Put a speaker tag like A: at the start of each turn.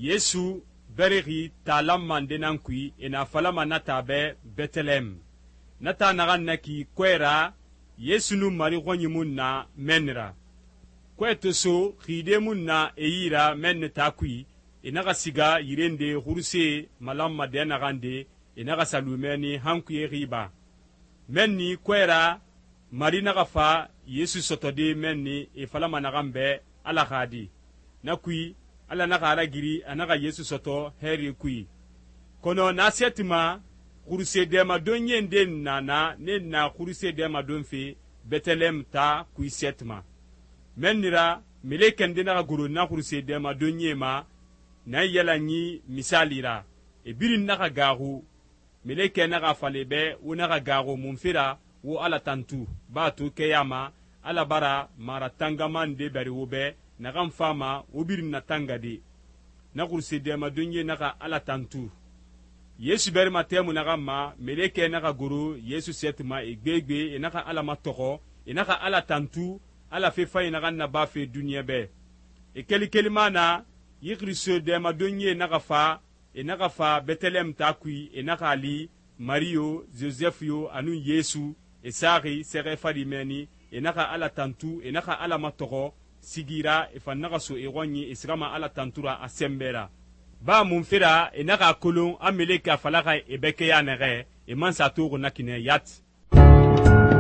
A: Yesu berexi taa lanma nde nan kui e na falama na taa bɛ Bɛtɛlɛhɛmu. Na taa naxan naki kɔɛ ra, Yesu nun Mari xɔnyi mu nu na mɛnni ra. Kɔɛ to so, xide mu nu na e yi ra mɛnni taa kui, e naxa siga yire nde xurusee malanma dɛ naxan de, e naxa sa lu mɛnni han kuye xiba. Mɛnni kɔɛ ra, Mari naxa fa Yesu sɔtɔde mɛnni e falama naxan bɛ Ala xa di. Na kui, Ala naxa a ragiri a naxa Yesu sɔtɔ hɛri kui. Kɔnɔ na sɛti ma, xuruse dɛmadonyie nde na na ne na xuruse dɛmadonfe Bɛtɛlɛhɛmu taa kui sɛti ma. Mɛnni ra, melekɛ nde naxa goro na xuruse dɛmadonyie ma na yalanyi misali ra. E birin naxa gaaxu. Melekɛ naxa fala bɛ wo naxa gaaxu munfe ra wo Ala tantu, baa to kɛya ma Ala bara maratangama nde bɛri wo bɛ naxan fama wo birin na tangade. Na xuruse dɛmadonyie naxa Ala tantu. Yesu bɛrima tɛmu naxan ma, melekɛ naxa goro Yesu sɛti ma e gbegbe, e naxa Ala matɔxɔ, e naxa Ala tantu, Ala fe fanyi naxan nabafe duniɲa bɛ. E keli kelima na, yi xuruse dɛmadonyie naxa fa, e naxa fa Bɛtɛlɛhɛmu taa kui, e naxa a li Mari yo, Josɛfu yo, anun Yesu, e saxi sɛxɛ fari mɛnni, e naxa Ala tantu, e naxa Ala matɔxɔ, sigira e fan naxa so e xɔnyi e sigama Ala tantura a sɛnbɛ ra. Ba munfe ra e naxa a kolon a melekɛ a falaxa e bɛ kɛya nɛxɛ, e man sa toxi na kinɛ yati.